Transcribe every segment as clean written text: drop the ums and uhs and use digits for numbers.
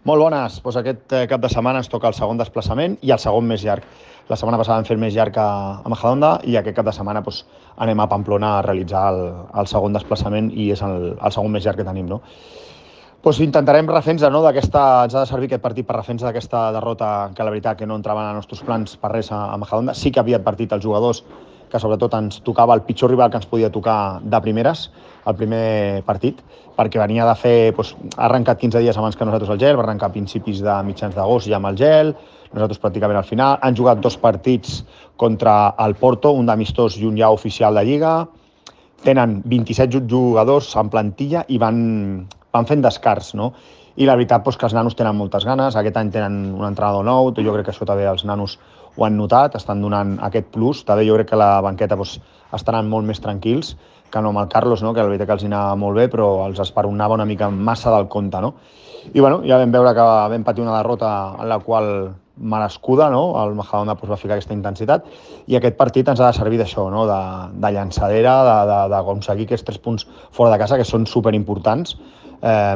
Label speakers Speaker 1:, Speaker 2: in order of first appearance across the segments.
Speaker 1: Molt bones. Doncs aquest cap de setmana ens toca el segon desplaçament i el segon més llarg. La setmana passada vam fer el més llarg a Majadahonda i aquest cap de setmana doncs, anem a Pamplona a realitzar el segon desplaçament i és el segon més llarg que tenim. No? Doncs intentarem refer-nos, no, d'aquesta. Ens ha de servir aquest partit per refer-nos d'aquesta derrota que la veritat que no entrava en els nostres plans per res a Majadahonda. Sí que havia advertit els jugadors que sobretot ens tocava el pitjor rival que ens podia tocar de primeres, el primer partit, perquè venia de fer, doncs, ha arrencat 15 dies abans que nosaltres el gel, va arrencar a principis de mitjans d'agost ja amb el gel, nosaltres pràcticament al final, han jugat 2 partits contra el Porto, un d'amistós i un ja oficial de Lliga, tenen 27 jugadors en plantilla i van fent descarts, no? I la veritat doncs, que els nanos tenen moltes ganes, aquest any tenen un entrenador nou, jo crec que això també els nanos ho han notat, estan donant aquest plus, també jo crec que la banqueta doncs, estaran molt més tranquils que no amb el Carlos, no? Que la veritat que els anava molt bé, però els esperonava una mica massa del compte, no? I bueno, ja vam veure que vam patir una derrota en la qual merescuda, no? El Majadahonda doncs, va ficar aquesta intensitat i aquest partit ens ha de servir d'això, no? de llançadera, d'aconseguir aquests 3 punts fora de casa que són superimportants,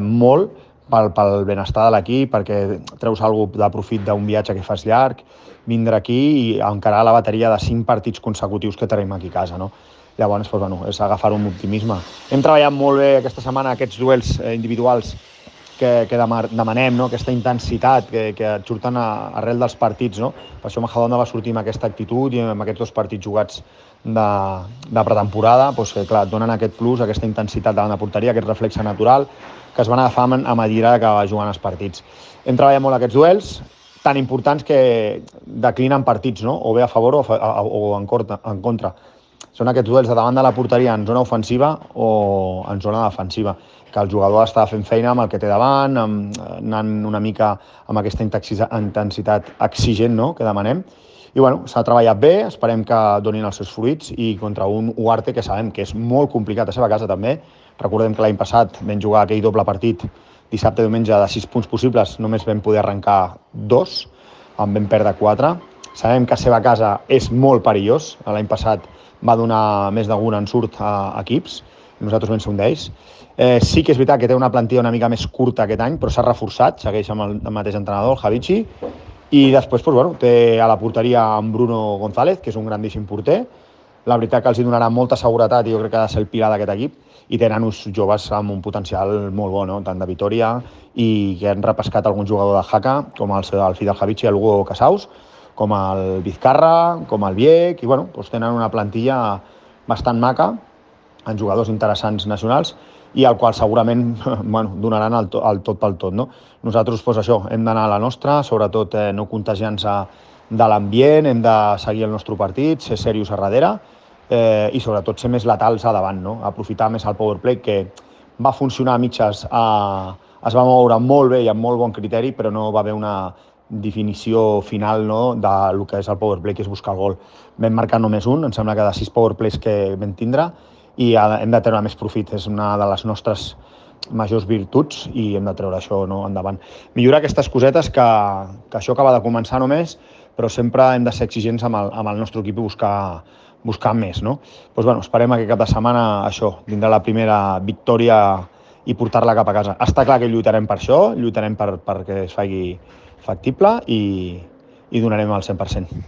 Speaker 1: molt pel benestar de l'equip, perquè treus alguna de profit d'un viatge que fas llarg, vindre aquí i encarar la bateria de 5 partits consecutius que tenim aquí a casa, no? Llavors, doncs, bueno, és agafar-ho amb optimisme. Hem treballat molt bé aquesta setmana aquests duels individuals que demanem, no? Aquesta intensitat que et surten arrel dels partits. No? Per això Majadahonda va sortir amb aquesta actitud i amb aquests 2 partits jugats de pretemporada, doncs, que clar, donen aquest plus, aquesta intensitat davant de porteria, aquest reflexe natural que es van agafar a medida que va jugant els partits. Hem treballat molt aquests duels, tan importants que declinen partits, no? O bé a favor o en contra. Són aquests duels de davant de la porteria en zona ofensiva o en zona defensiva, que el jugador està fent feina amb el que té davant, anant una mica amb aquesta intensitat exigent, no?, que demanem. I bueno, s'ha treballat bé, esperem que donin els seus fruits i contra un Ugarte que sabem que és molt complicat a seva casa també. Recordem que l'any passat vam jugar aquell doble partit dissabte i diumenge de 6 punts possibles, només vam poder arrencar 2, en vam perdre 4. Sabem que a seva casa és molt perillós, l'any passat va donar més d'un ensurt a equips, nosaltres vam ser un d'ells. Sí que és veritat que té una plantilla una mica més curta aquest any, però s'ha reforçat, segueix amb el mateix entrenador, el Javici, i després doncs, bueno, té a la porteria en Bruno González, que és un grandíssim porter. La veritat que els donarà molta seguretat i jo crec que ha de ser el pilar d'aquest equip, i tenen uns joves amb un potencial molt bo, no? Tant de Vitoria i que han repescat algun jugador de Jaca, com el fill del Javici, el Hugo Casaus, com el Vizcarra, com el Viec, i bueno, doncs tenen una plantilla bastant maca, amb jugadors interessants nacionals, i al qual segurament bueno, donaran el tot pel tot. No? Nosaltres, doncs això, hem d'anar a la nostra, sobretot no contagiant-se de l'ambient, hem de seguir el nostre partit, ser serios a darrere, i sobretot ser més letals a davant, no? Aprofitar més el powerplay, que va funcionar a mitges, es va moure molt bé i amb molt bon criteri, però no va haver una definició final, no, del que és el powerplay, que és buscar el gol. Vam marcar només un, em sembla que de 6 powerplays que vam tindre, i hem de treure més profit, és una de les nostres majors virtuts i hem de treure això, no, endavant. Millorar aquestes cosetes que això acaba de començar només, però sempre hem de ser exigents amb el nostre equip i buscar més. No? Doncs, bueno, esperem que cap de setmana això tindrà la primera victòria i portar-la cap a casa. Està clar que lluitarem per això, lluitarem perquè es faci factible i donarem el 100%.